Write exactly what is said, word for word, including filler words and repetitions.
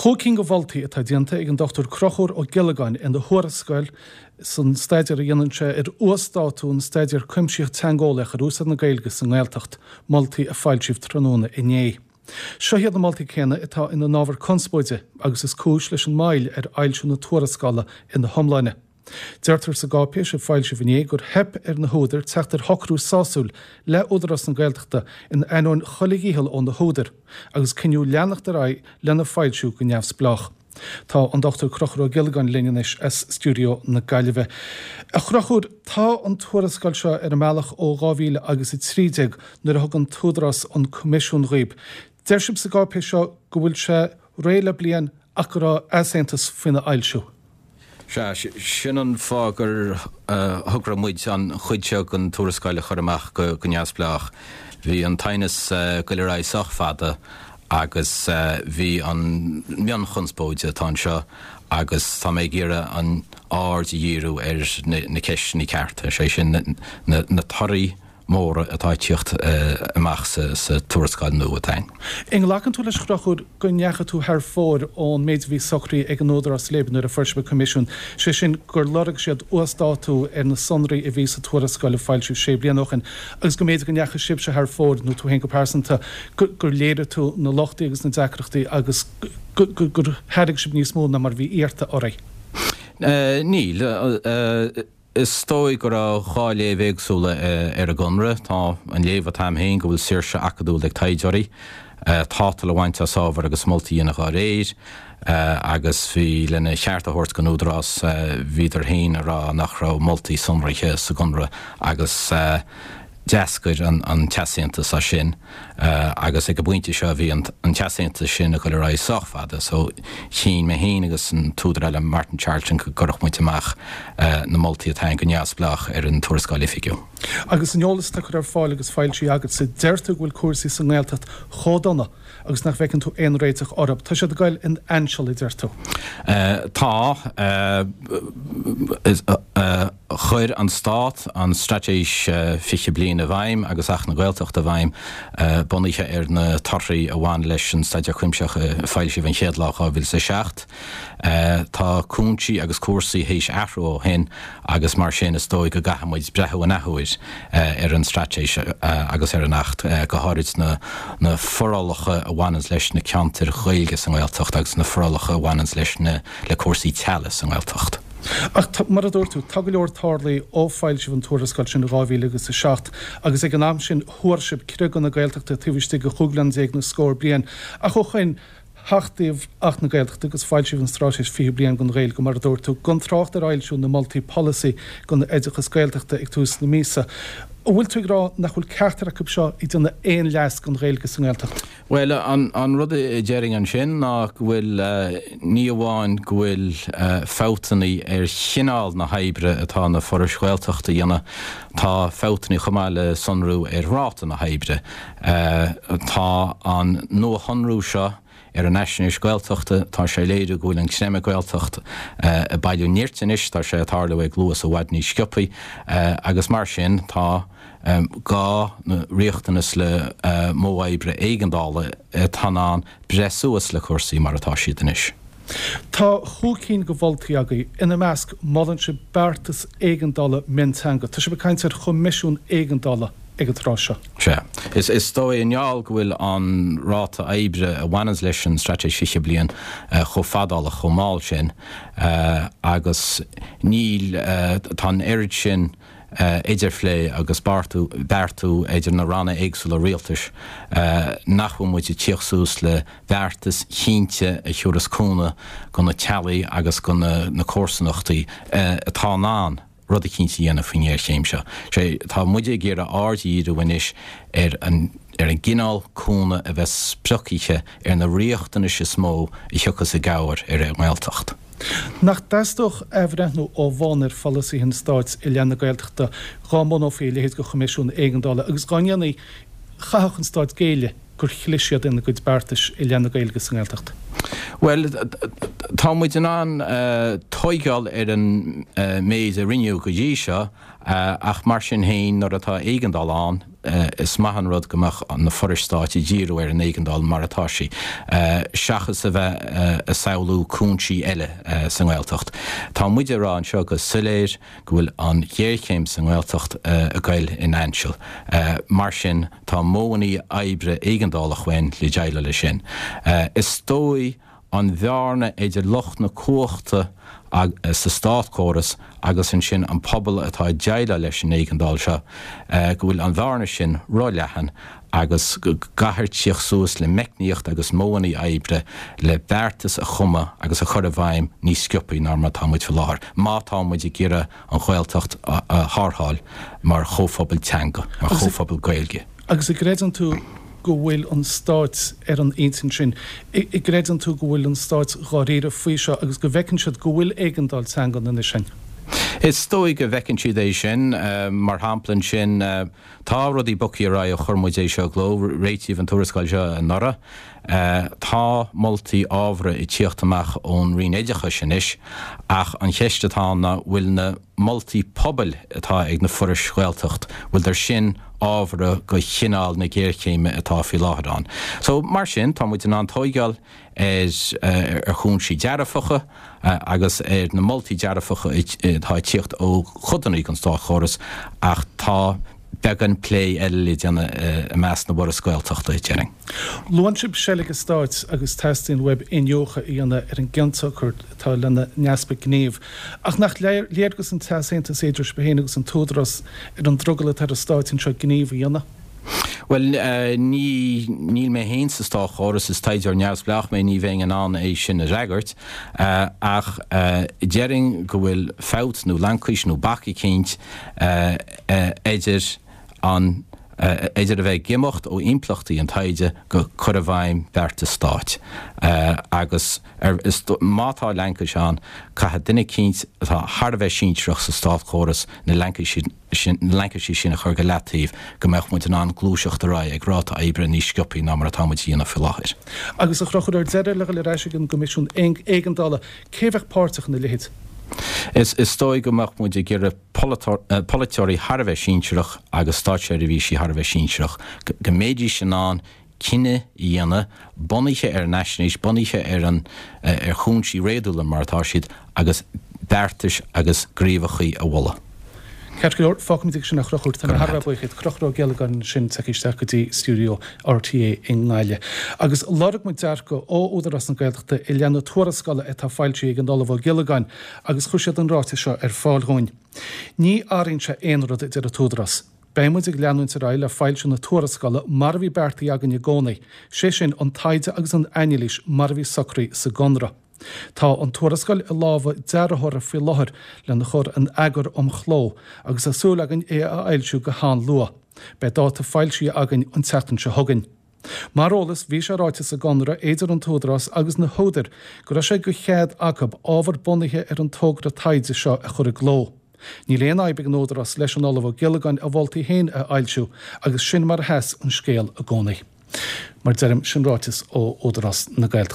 Chúig cinn de mholtaí atá déanta ag an Dochtúir Conchúr Ó Giollagáin ina thuarascáil san staidéar a dhéanann sé ar uasdátú an Staidéar Cuimsitheach Teangeolaíoch ar úsáid na Gaeilge sa nGaeltacht, moltaí a foilsíodh tráthnóna inné. Seo iad na moltaí céanna atá ina n-ábhar conspóide agus is cúis leis an moill ar fhoilsiú na tuarascála ina hiomláine. Deirtear sa gcáipéis a foilsíodh inné gur theip ar na húdair teacht ar shocrú sásúil le Údarás na Gaeltachta in ainneoin chuile dhícheall ó na húdair agus cinneadh leanacht ar aghaidh lena foilsiú go neamhspleách. Tá an Dochtúir Conchúr Ó Giollagáin linn anois as stiúideo na Gaillimhe. A Chonchúir, tá an tuarascáil seo ar an mbealach ó dhá mhíle agus a trí déag nuair a thug an tÚdarás an coimisiún dhaoib. Deir sibh sa gcáipéis seo go bhfuil sé réidh le bliain ach go raibh easaontas faoina fhoilsiú. Sea, sin an fáth gur thograigh muid an chuid seo den tuarascáil a chur amach go neamhspleách. Bhí an t-aighneas ag goil ar aghaidh sách fada agus bhí an mhionchonspóid atá anseo agus tá mé ag iarraidh an aird a dhíriú ar na ceisteanna cearta, sé sin na torthaí móra atá ag tíocht amach sa tuarascáil nua atá ann. An nglacann tú leis, a Chonchúir, go ndeachaigh tú thar fóir ón méid a bhí socraithe ag an Údarás libh nuair a fuair sibh an coimisiún, sé sin gur lorg siad uasdátú ar na sonraí a bhí sa tuarascáil a foilsíodh sé bliana ó shin agus go mb'fhéidir go ndeachaigh sibhse thar fóir, nó tú féin go pearsanta, gur léirigh tú na lochtaí agus na deacrachtaí agus gur thairg sibh níos mó ná mar a bhí iarrta oraibh? Níl. Is dóigh go raibh dhá léamh éagsúla ar an gconradh. Tá an léamh atá agam féin go bhfuil saoirse acadúil ag taighdeoirí tátal a bhaint as ábhar agus moltaí a dhéanamh dá réir, agus bhí lena cheart a thabhairt don Údarás, bhíodar féin ag rá nach raibh moltaí sonraithe sa gconradh agus d'eascair an t-easaontas as sin agus ag an bpointe seo bhí an t-easaontas sin ag dul ar aghaidh sách fada so chinn mé féin agus an t-údar eile Martin Charlton go gcuirfeadh muid amach na moltaí atá ann go neamhspleách ar an tuarascáil oifigiúil. Agus an eolas atá curtha ar fáil agus foilsithe agatsa, deir tú go bhfuil cúrsaí sa nGaeltacht chomh dona agus nach bhfeiceann tú aon réiteach orthu. Tá siad ag goil in ainseal, a deir tú. Tá. Chuir an Stát an Straitéis fiche Bliain i bhfeidhm agus Acht na Gaeltachta i bhfeidhm, bunaithe ar na torthaí a bhain leis an Staidéar Cuimsitheach a foilsíodh an chéad lá dhá mhíle is a seacht. Tá cúinsí agus cúrsaí théis athrú ó shin agus mar sin is dóigh go gcaithfidh muid breathnú an athuair ar an Straitéis agus ar an Acht, go háirid na forálacha a bhaineanns leis na ceantair Ghaeilge sa nGaeltacht agus na forálacha a bhaineanns leis na le cúrsaí teaghlaigh sa nGaeltacht. Ach mar a dúirt tú, tá go leor tarlaithe ó foilsíodh an tuarascáil sin in dhá mhíle agus a seacht agus ag an am sin thuar sibh criogadh na Gaeltachta taobh istigh de chúig bliana déag nó scór bliain. Ach ó shoin, hachtaíodh Acht na Gaeltachta agus foilsíodh an Straitéis fiche Bliain don Ghaeilge, mar a dúirt tú, gan trácht ar fhoilsiú na moltaí polasaí don oideachas Gaeltachta ag tús na míosa. An bhfuil tú ag rá nach bhfuil ceachtar acu seo ag déanamh aon leas don Ghaeilge sa nGaeltacht? Bhuel, an rud a déarfainn ansin ná go bhfuil, ní amháin go bhfuil fabhtanna ar chineál na hoibre atá na forais Ghaeltachta a dhéanamh, tá fabhtanna chomh maith le sonrú ar ráta na hoibre. Tá an nuashonrú seo ar an fhaisnéis Gaeltachta, tá sé ag léiriú go bhfuil an creimeadh Gaeltacht ag bailiú nirt anois, tá sé ag tarlú ag luas i bhfad níos sciobthaí agus mar sin tá gá nó riachtanas le modh oibre éigeandála atá in ann breith suas le cúrsaí mar atá siad anois. Tá chúig cinn de mholtaí agaibh, ina measc molann sibh beartas éigeandála mionteanga. Tá sibh ag caint ar choimisiún éigeandála ag an tráth seo. Sea. Is dóigh i ngeall go bhfuil an ráta oibre a bhaineanns leis an Straitéis Fiche Bliain chomh fadálach, chomh mall sin agus níl, tá an oiread sin idirphlé agus beartú idir na ranna éagsúla rialtais nach bhfuil muid ag tíocht suas le beartas chinnte a thiúrfas cúnamh go na teaghlaigh agus go na comharsanachtaí atá in ann rud eicínt a dhéanamh faoin ngéarchéim seo. Sé, tá muide ag iarraidh aird a dhíriú anois ar an ar an gcineál cúnamh a bheas spriocaithe ar na riachtanais is mó a thiocfas i gcabhair ar an nGaeltacht. Nach dteastódh athbhreithniú ó bhonn ar pholasaithe an stáit i leith na Gaeltachta dhá mbunófaí a leithéid de choimisiún éigeandála agus dá ndéanfaí, chaithfeadh an stát géilleadh gur chlis siad ina gcuid beartais i leith na Gaeilge sa nGaeltacht? Bhuel, tá Tá muid in ann tóigeáil ar an méid a rinneadh go dtí seo, ach mar sin féin, nuair atá éigeandáil ann, is maith an rud go mbeadh na forais stáit ag díriú ar an éigeandáil mar atá sí, seachas a bheith ag samhlú cúinsí eile sa nGaeltacht. Tá muid ag rá anseo go soiléir go bhfuil an ghéarchéim sa nGaeltacht ag goil in ainseal. Mar sin, tá modhanna oibre éigeandálacha uainn le déileáil leis sin. Is dóigh an bhearna idir lucht na cumhachta sa státchóras agus ansin an pobal atá ag déileáil leis an éigeandáil seo, go bhfuil an bhearna sin róleathan agus go gcaithfear tíocht suas le meicníocht agus modhanna oibre le beartas a chumadh agus a chur i bhfeidhm níos sciobthaí ná mar atá muid faoi láthair, má tá muid ag iarraidh an Ghaeltacht a tharrtháil mar chomhphobal teanga, mar chomhphobal Gaeilge. Agus an gcreideann tú go bhfuil an Stát ar an intinn sin? An gcreideann tú go bhfuil an Stát dháiríre faoi seo agus go bhfeiceann siad go bhfuil éigeandáil teanga anois ann? Is dóigh go bhfeiceann siad é sin. Mar shampla ansin, tá rudaí bogtha ar aghaidh ó chuir muid é seo i gcló, réitíodh an tuarascáil seo anuraidh. Tá moltaí ábhartha ag tíocht amach ón Roinn Oideachais anois ach an cheist atá ann ná bhfuil na moltaí pobail atá ag na forais Ghaeltacht, bhfuiltear sin ábhartha go chineál na géarchéime atá faoi láthair ann. So, mar sin, tá muid in ann tóigeáil ar ar chúinsí dearfacha agus ar na moltaí dearfacha atá ag tíocht ó chodanna den státchóras ach tá beagán plé eile le déanamh i measc na bhforas Gaeltachta, déarfainn. Luann sibh seilg an Stáit agus teastaíonn uaibh iniúchadh a dhéanamh ar an gcionsiocair atá lena n-easpa gnímh. Ach nach léargas an t-easaontas idir sibh féin agus an tÚdarás ar an drogall atá ar an Stát anseo gníomh a dhéanamh? Bhuel, ní, níl mé féin sa státchóras, is taighdeoir neamhspleách mé, ní bheinn in ann é sin a fhreagairt. Ach déarfainn go bhfuil fabht nó laincis nó bac eicínt idir an, idir a bheith ag imeacht ó impleachtaí an taighde go cur i bhfeidhm beartas stáit. Agus ar, is, má tá laincis ann, caithfidh duine eicínt atá thar a bheith sinsearach sa státchóras na laincisí sin, na laincisí sin a chur go leataobh go mbeadh muid in ann gluaiseacht ar aghaidh ag ráta oibre níos sciobthaí ná mar atá muid a dhéanamh faoi láthair. Agus a Chonchúir, ar deireadh, le dhul ar ais ag an gCoimisiún Éigeandála, cé a bheadh páirteach ina leithéid? Is is dóigh go mbeadh muid ag iarraidh polaiteoirí thar a bheith sinsearach agus státseirbhísigh thar a bheith sinsearach, go mbeidís in ann cinneadh a dhéanamh, bunaithe ar an fhaisnéis, bunaithe ar an ar chúinsí réadúla mar atá siad, agus beartais agus gníomhachaí a mholadh. Ceart go leor, fágfaimid ag sin é a Chonchúir. Tá mé thar a bheith buíoch díot. Conchúr Ó Giollagáin ansin tagtha isteach go dtí stiúideo RTÉ i nGaillimh. Agus lorg muid dearcadh ó Údarás na Gaeltachta i leith na tuarascála atá foilsithe ag an Ollamh Ó Giollagáin agus chuir siad an ráiteas seo ar fáil dhúinn. Ní athraíonn sé aon rud, a deir an tÚdarás. Beidh muid ag leanúint ar aghaidh le foilsiú na tuarascála mar a bhí beartaithe againn i gcónaí, sé sin an taighde agus an anailís mar a bhí socraithe sa gconradh. Tá an tuarascáil i lámha dearthóra faoi láthair lena chur in eagar um chló agus tá súil againn é a fhoilsiú go han-luath. Beidh dáta foilsithe againn an tseachtain seo chugainn. Mar eolas, bhí sé ráite sa gconradh idir an tÚdarás agus na húdair go raibh sé de chead acu ábhar bunaithe ar an togra taighde seo a chur i gcló. Níl aon fhadhb ag an Údarás leis an Ollamh Ó Giollagáin a mholtaí féin a fhoilsiú agus sin mar a sheas an scéal i gcónaí. Mar deirim, sin ráiteas ó Údarás na Gaeltachta.